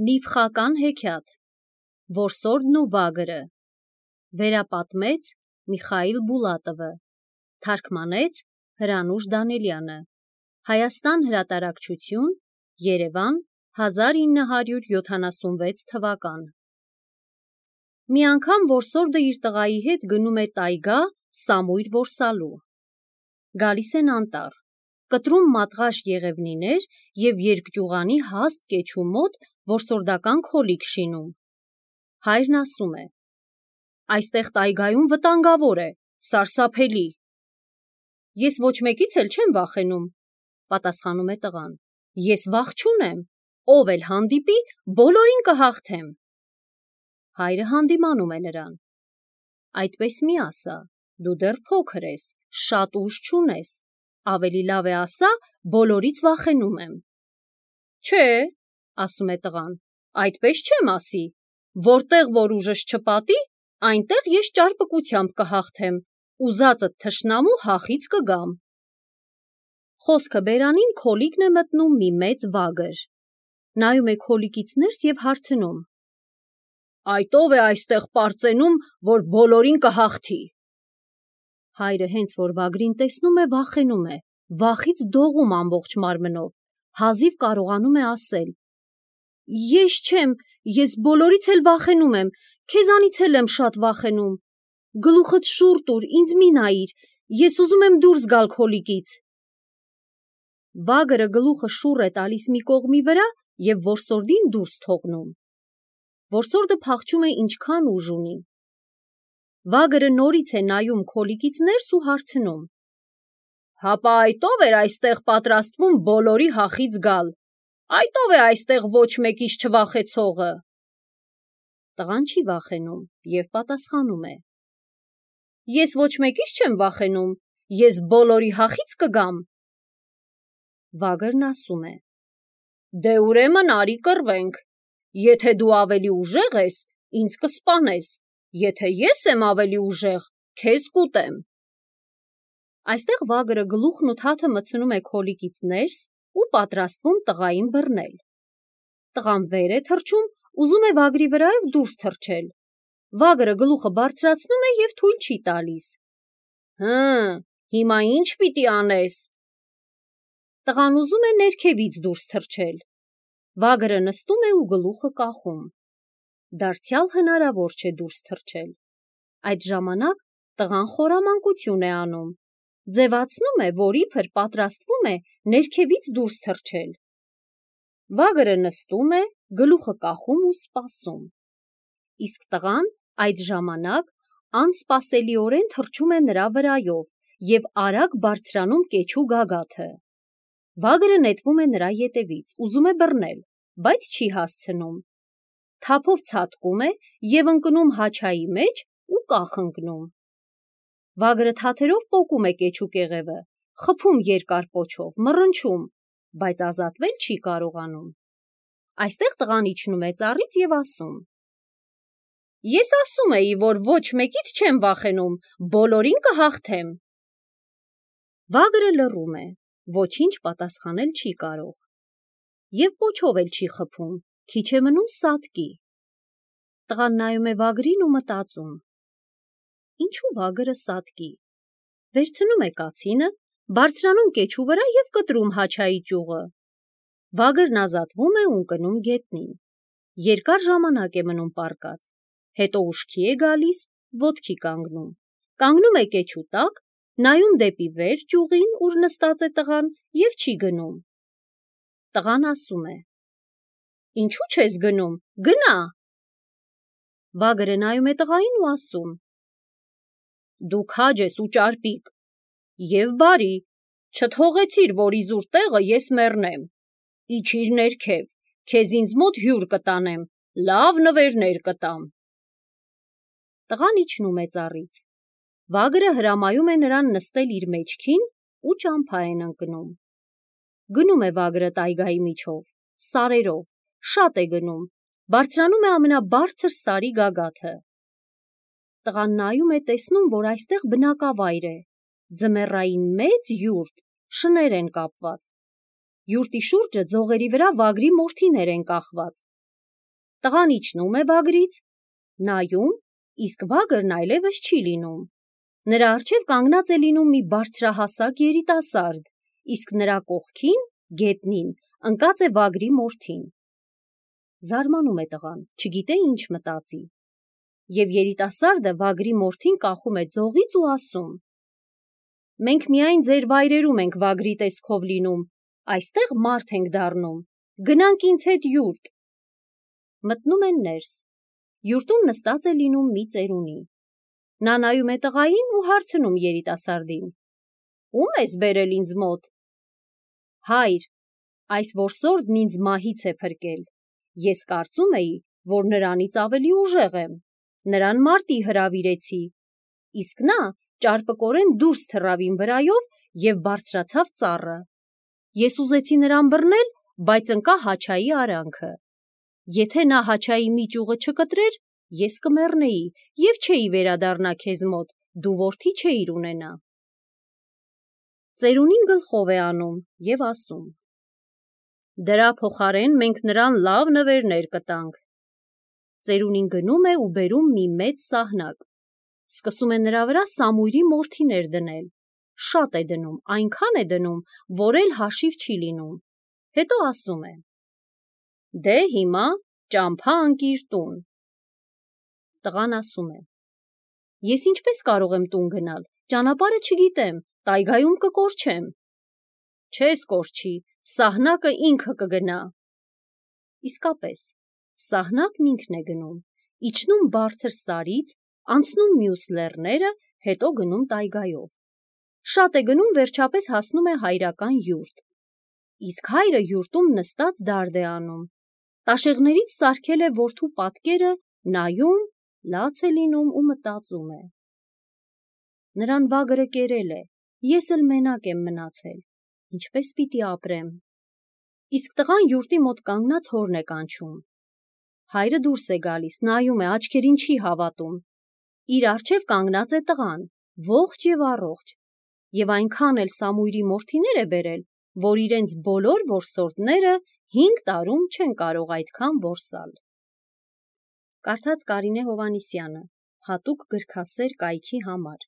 Նիվխական հեքիաթ Որսորդն ու Վագրը Վերապատմեց Միխայիլ Բուլատովը Թարգմանեց Հրանուշ Դանելյանը Հայաստան հրատարակչություն Երևան 1976 թվական Մի անգամ որսորդը իր տղայի հետ գնում է տայգա սամույր որսալու Գալիս են անտառ Կտրում մատղաշ եղևնիներ և երկճյուղանի հաստ կեչու մոտ որսորդական քոլիկ շինում։ Հայրն ասում է. Այստեղ տայգայում վտանգավոր է, սարսափելի։ Ես ոչ մեկից էլ չեմ վախենում, պատասխանում է տղան։ Ես վախ չունեմ, ով էլ հանդիպի, բոլորին կհաղթեմ։ Հայրը հանդիմանում է նրան։ Այդպես մի ասա, դու դեռ փոքր ես, շատ ուժ չունես, ավելի լավ է ասա, բոլորից վախենում եմ։ Չէ, ասում է տղան, այդպես չեմ ասի, որտեղ որ ուժս չպատի, այնտեղ ես ճարպկությամբ կհաղթեմ, ուզածդ թշնամու հախից կգամ։ Խոսքը բերանին քոլիկն է մտնում մի մեծ վագր։ Նայում է քոլիկից ներս և հարցնում. Այդ ով է այստեղ պարծենում, որ բոլորին կհաղթի։ Հայրը հենց որ վագրին տեսնում է, վախենում է, վախից դողում ամբողջ մարմնով, հազիվ կարողանում է ասել. Ես չեմ, ես բոլորից էլ վախենում եմ, քեզանից էլ եմ շատ վախենում, գլուխդ շուռ տուր, ինձ մի նայիր, ես ուզում եմ դուրս գալ քոլիկից։ Վագրը գլուխը շուռ է տալիս մի կողմի վրա և որսորդին դուրս թողնում։ Որսորդը փախչում է ինչքան ուժ ունի։ Վագրը նորից է նայում քոլիկից ներս ու հարցնում. Հապա այդ ով էր այստեղ պատրաստվում բոլորի հախից գալ, այդ ով է այստեղ ոչ մեկից չվախեցողը։ Տղան չի վախենում և պատասխանում է. Ես ոչ մեկից չեմ վախենում, ես բոլորի հախից կգամ։ Վագրն ասում է. Դե ուրեմն արի կռվենք, եթե դու ավելի ուժեղ ես, ինձ կսպանես, եթե ես եմ ավելի ուժեղ, քեզ կուտեմ։ Այստեղ վագրը գլուխն ու թաթը մտցնում է քոլիկից ներս ու պատրաստվում տղային բռնել։ Տղան վեր է թռչում, ուզում է վագրի վրայով դուրս թռչել։ Վագրը գլուխը բարձրացնում է և թույլ չի տալիս։ Հիմա ինչ պիտի անես։ Տղան ուզում է ներքևից դուրս թռչել։ Վագրը նստում է ու գլուխը կախում։ Դարձյալ հնարավոր չէ դուրս թռչել։ Այդ ժամանակ տղան խորամանկություն է անում, ձևացնում է, որ իբր պատրաստվում է ներքևից դուրս թռչել։ Վագրը նստում է, գլուխը կախում ու սպասում։ Իսկ տղան այդ ժամանակ անսպասելիորեն թռչում է նրա վրայով և արագ բարձրանում կեչու գագաթը։ Վագրը նետվում է նրա ետևից, ուզում է բռնել, բայց չի հասցնում։ Թափով ցատկում է և ընկնում հաչայի մեջ ու կախ ընկնում։ Վագրը թաթերով պոկում է կեչու կեղևը, խփում երկար պոչով, մռնչում, բայց ազատվել չի կարողանում։ Այստեղ տղան իջնում է ծառից և ասում. Ես ասում էի, որ ոչ մեկից չեմ վախենում, բոլորին կհաղթեմ։ Վագրը լռում է, ոչինչ պատասխանել չի կարող։ Եվ պոչով էլ չի խփում, քիչ է մնում սատկի։ Տղան նայում է վագրին ու մտածում. Ինչու վագրը սատկի։ Վերցնում է կացինը, բարձրանում կեչու վրա և կտրում հաչայի ճյուղը։ Վագրն ազատվում է ու ընկնում գետնին։ Երկար ժամանակ է մնում պառկած, հետո ուշքի է գալիս, ոտքի կանգնում, կանգնում է կեչու տակ, նայում դեպի վեր ճյուղին, ուր նստած է տղան և չի գնում։ Տղան ասում է. Ինչու չես գնում, գնա։ Վագրը նայում է տղային ու ասում. Դու քաջ ես ու ճարպիկ, և բարի, չթողեցիր, որ իզուր տեղը ես մեռնեմ, իջիր ներքև, քեզ ինձ մոտ հյուր կտանեմ, լավ նվերներ կտամ։ Տղան իջնում է ծառից։ Վագրը հրամայում է նրան նստել իր մեջքին ու ճամփա են ընկնում։ Գնում է վագրը տայգայի միջով, սարերով, շատ է գնում, բարձրանում է ամենաբարձր սարի գագաթը։ Տղան նայում է, տեսնում, որ այստեղ բնակավայր է, ձմեռային մեծ յուրտ, շներ են կապված։ Յուրտի շուրջը ձողերի վրա վագրի մորթիներ են կախված։ Տղան իջնում է վագրից, նայում, իսկ վագրն այլևս չի լինում։ Նրա առջև կանգնած է լինում մի բարձրահասակ երիտասարդ, իսկ նրա կողքին, գետնին, ընկած է վագրի մորթին։ Զարմանում է տղան, չգիտե ինչ մտածի։ Եվ երիտասարդը վագրի մորթին կախում է ձողից ու ասում. «Մենք միայն ձեր վայրերում ենք վագրի տեսքով լինում, այստեղ մարդ ենք դառնում, գնանք ինձ հետ յուրտ»։ Մտնում են ներս։ Յուրտում նստած է լինում մի ծերունի։ Նա նայում է տղային ու հարցնում երիտասարդին. «Ո՞ւմ ես բերել ինձ մոտ»։ «Հայր, այս որսորդն ինձ մահից է փրկել։ Ես կարծում էի, որ նրանից ավելի ուժեղ եմ։ Նրան մարտի հրավիրեցի, իսկ նա ճարպկորեն դուրս թռավ իմ վրայով և բարձրացավ ծառը։ Ես ուզեցի նրան բռնել, բայց ընկա Հաչայի արանքը։ Եթե նա Հաչայի մի ճյուղը չկտրեր, ես կմեռնեի և չէի վերադառնա քեզ մոտ, դու որդի չէիր ունենա»։ Ծերունին գլխով է անում և ասում. «Դրա փոխարեն մենք նրան լավ նվերներ կտանք»։ Ծերունին գնում է ու բերում մի մեծ սահնակ։ Սկսում է նրա վրա սամույրի մորթիներ դնել։ Շատ է դնում, այնքան է դնում, որ էլ հաշիվ չի լինում։ Հետո ասում է. «Դե հիմա ճամփա ընկիր տուն»։ Տղան ասում է. «Ես ինչպես կարող եմ տուն գնալ, ճանապարհը չգիտեմ, տայգայում կկորչեմ»։ «Չես կորչի, սահնակը ինքը կգնա»։ Իսկապես, սահնակն ինքն է գնում, իջնում բարձր սարից, անցնում մյուս լեռները, հետո գնում տայգայով։ Շատ է գնում, վերջապես հասնում է հայրական յուրտ։ Իսկ հայրը յուրտում նստած դարդ է անում։ Տաշեղներից սարքել է որդու պատկերը, նայում, լաց է լինում ու մտածում է. «Նրան վագրը կերել է, ես էլ մենակ եմ մնացել, ինչպես պիտի ապրեմ»։ Իսկ տղան յուրտի մոտ կանգնած հորն է կանչում։ Հայրը դուրս է գալիս, նայում է, աչքերին չի հավատում։ Իր առջև կանգնած է տղան, ողջ և առողջ, և այնքան էլ սամույրի մորթիներ է բերել, որ իրենց բոլոր որսորդները 5 տարում չեն կարող այդքան որսալ։ Կարդաց Կարինե Հովհաննիսյանը, հատուկ գրքասեր կայքի համար։